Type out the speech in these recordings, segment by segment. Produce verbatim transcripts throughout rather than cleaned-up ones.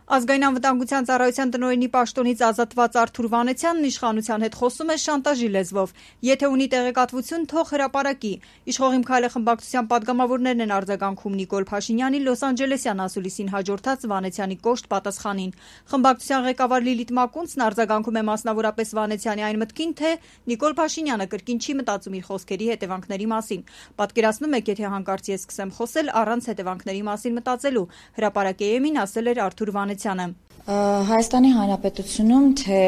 Ազգային անվտանգության ծառայության տնօրենի պաշտոնից ազատված Արթուր Վանեցյանն իշխանության հետ խոսում է շանտաժի լեզվով. եթե ունի տեղեկատվություն, թող հրապարակի։ Իշխող Իմ Քայլը խմբակցության պատգամավորներն են արձագանքում Նիկոլ Փաշինյանի Լոս Անջելեսյան ասուլիսին հաջորդած Վանեցյանի կոշտ պատասխանին։ Խմբակցության ղեկավար Լիլիթ Մակունցն արձագանքում է մասնավորապես Վանեցյանի այն մտքին, թե Նիկոլ Փաշինյանը կրկին չի մտածում իր խոսքերի հետևանքների մասին։ Պատկերացնում եք, եթե հանկարծ ես սկսեմ խոսել առանց հետևանքների մասին մտածելու, հրապարակեի եմին ասել էր Արթուր Վանեցյանը։ Հայաստանի Հանրապետությունում թե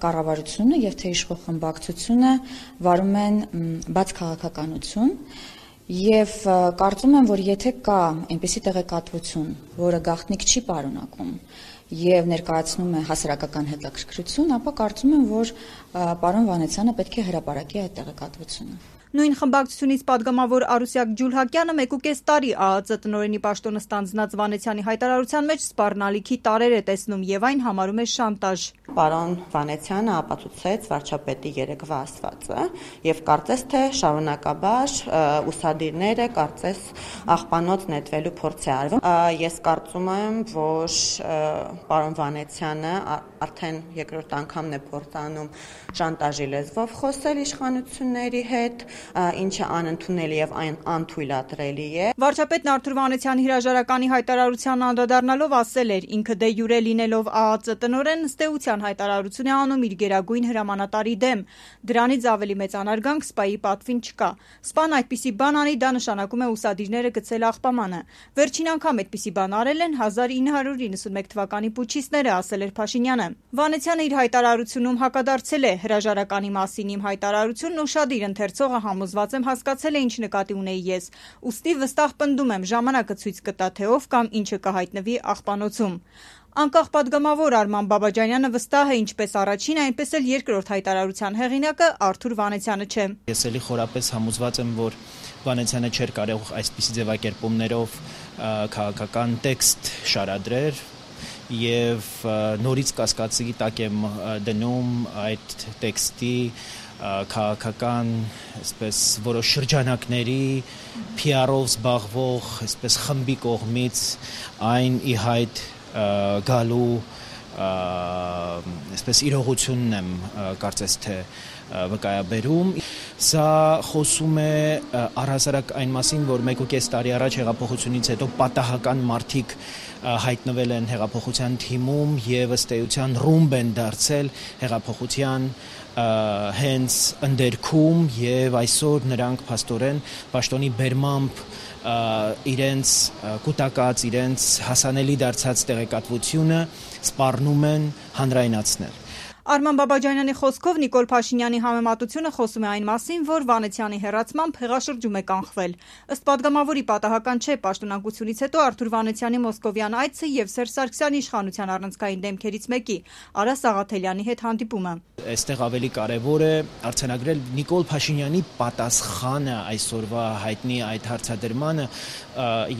կառավարությունը եւ թե իշխող խմբակցությունը վարում են բաց քաղաքականություն եւ կարծում եմ, որ եթե կա այնպիսի տեղեկատվություն, որը գաղտնիք չի պարունակում եւ ներկայացնում է հասարակական հետաքրքրություն, ապա կարծում եմ, որ պարոն Վանեցյանը պետք է հրապարակի այդ տեղեկատվությունը։ Նույն խմբակցությունից պատգամավոր Արուսյակ Ջուլհակյանը մեկուկես տարի ԱԱԾ տնօրենի պաշտոնը ստանձնած Վանեցյանի հայտարարության մեջ սպառնալիքի տարրեր է տեսնում եւ այն համարում է շանտաժ։ Պարոն Վանեցյանը ապացուցեց վարչապետի երեկվա ասվածը եւ կարծես թե շարունակաբար ուսադիրները կարծես աղբանոց նետվելու փորձ է արվում։ Ես կարծում եմ, որ պարոն Վանեցյանը արդեն երկրորդ անգամն է փորձանում շանտաժի լեզվով խոսել իշխանությունների հետ, ինչը անընդունելի եւ անթույլատրելի է։ Վարչապետն Արթուր Վանեցյանի հրաժարականի հայտարարության անդրադառնալով ասել էր. ինքը դե յուրե լինելով ԱԱԾ տնօրեն ըստ էության հայտարարություն է անում իր գերագույն հրամանատարի դեմ։ Դրանից ավելի մեծ անարգանք սպայի պատվին չկա։ Սպան այդպիսի բան անի, դա նշանակում է ուսադիրները գցել աղբամանը։ Վերջին անգամ այդպիսի բան արել են հազար ինը հարյուր իննսունմեկ թվականի պուչիստները, ասել էր Փաշինյանը։ Վանեցյանը իր հայտարարությունում հակադարձել է հրաժարականի մասին իմ հայտարարությունն ուշադիր ընթերցողը համոզված եմ հասկացել է ինչ նկատի ունեի ես։ Ուստի վստահ պնդում եմ ժամանակը ցույց կտա թե ով կամ ինչը կհայտնվի աղբանոցում։ Անկախ պատգամավոր Արման Բաբաջանյանը վստահ է ինչպես առաջին, այնպես էլ երկրորդ հայտարարության հեղինակը Արթուր Վանեցյանը չէ։ Ես էլի խորապես համոզված եմ, որ Վանեցյանը չէր կարող այսպիսի ձևակերպումներով քաղաքական տեքստ շարադրել եւ նորից կասկածի տակ եմ դնում այդ տեքստի քաղաքական, այսպես որոշ շրջանակների P R-ով զբաղվող, այսպես խմբի կողմից այն ի հայտ գալու այսպես իրողությունն եմ կարծես թե վկայաբերում։ Սա խոսում է առհասարակ այն մասին, որ մեկուկես տարի առաջ հեղափոխությունից հետո պատահական մարդիկ հայտնվել են հեղափոխության թիմում եւ ըստ էության ռումբ են դարձել հեղափոխության հենց ընդերքում եւ այսօր նրանք փաստորեն պաշտոնի բերմամբ իրենց կուտակած, իրենց հասանելի դարձած տեղեկատվությունը սպառնում են հանրայնացնել։ Արման Բաբաջանյանի խոսքով Նիկոլ Փաշինյանի համեմատությունը խոսում է այն մասին, որ Վանեցյանի հեռացմամբ հեղաշրջում է կանխվել։ Ըստ պատգամավորի պատահական չէ պաշտոնակությունից հետո Արթուր Վանեցյանի մոսկովյան այցը եւ Սերժ Սարգսյանի իշխանության առանցքային դեմքերից մեկի Արա Սաղաթելյանի հետ հանդիպումը։ Այստեղ ավելի կարևոր է արձանագրել Նիկոլ Փաշինյանի պատասխանը այսօրվա հայտնի այդ հարցադրմանը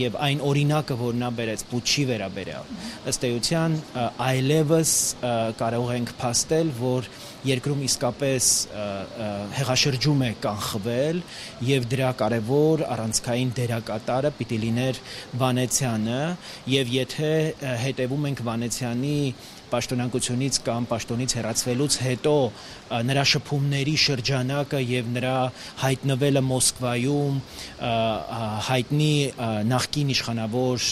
եւ այն օրինակը, որ նա բերեց Պուչի վերաբերյալ։ Ըստ էության այլևս կարող ենք փաստել, որ երկրում իսկապես հեղաշրջում է կանխվել եւ դրա կարևոր առանցքային դերակատարը պիտի լիներ Վանեցյանը եւ եթե հետեւում ենք Վանեցյանի պաշտոնակությունից կամ պաշտոնից հեռացվելուց հետո նրա շփումների շրջանակը եւ նրա հայտնվելը Մոսկվայում հայտնի նախկին իշխանավոր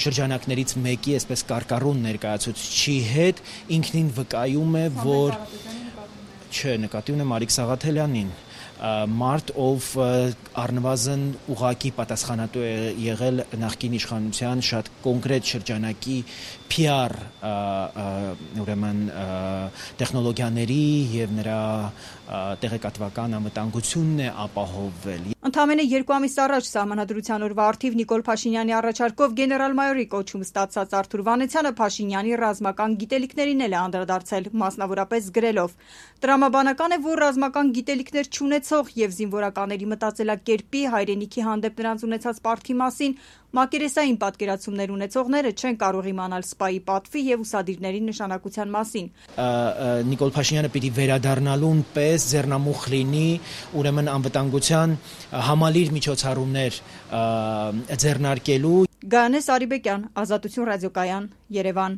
շրջանակներից մեկի այսպես կարկառուն ներկայացուցչի հետ ինքնին վկայում է, որ չէ, նկատի ունեմ Արիկ Սաղաթելյանին, մարդ, ով առնվազն ուղղակի պատասխանատու է եղել նախկին իշխանության շատ կոնկրետ շրջանակի P R ուրեմն տեխնոլոգիաների եւ նրա տեղեկատվական անվտանգությունն է ապահովվել։ Ընդամենը երկու ամիս առաջ Սահմանադրության օրվա առթիվ Նիկոլ Փաշինյանի առաջարկով գեներալ-մայորի կոչում ստացած Արթուր Վանեցյանը Փաշինյանի ռազմական գիտելիքներին էլ է անդրադարձել, մասնավորապես գրելով. Տրամաբանական է, որ ռազմական գիտելիքներ չունեցող եւ զինվորականների մտածելակերպի հայրենիքի հանդեպ նրանց ունեցած պարտքի մասին մակերեսային պատկերացումներ ունեցողները չեն կարող իմանալ սպայի պատվի եւ ուսադիրների նշանակության մասին։ Նիկոլ Փաշինյանը պիտի վերադառնալուն պես ձեռնամուխ լինի ուրեմն անվտանգության համալիր միջոցառումներ ձեռնարկելու Գայանե Սարիբեկյան, Ազատություն ռադիոկայան, Երևան։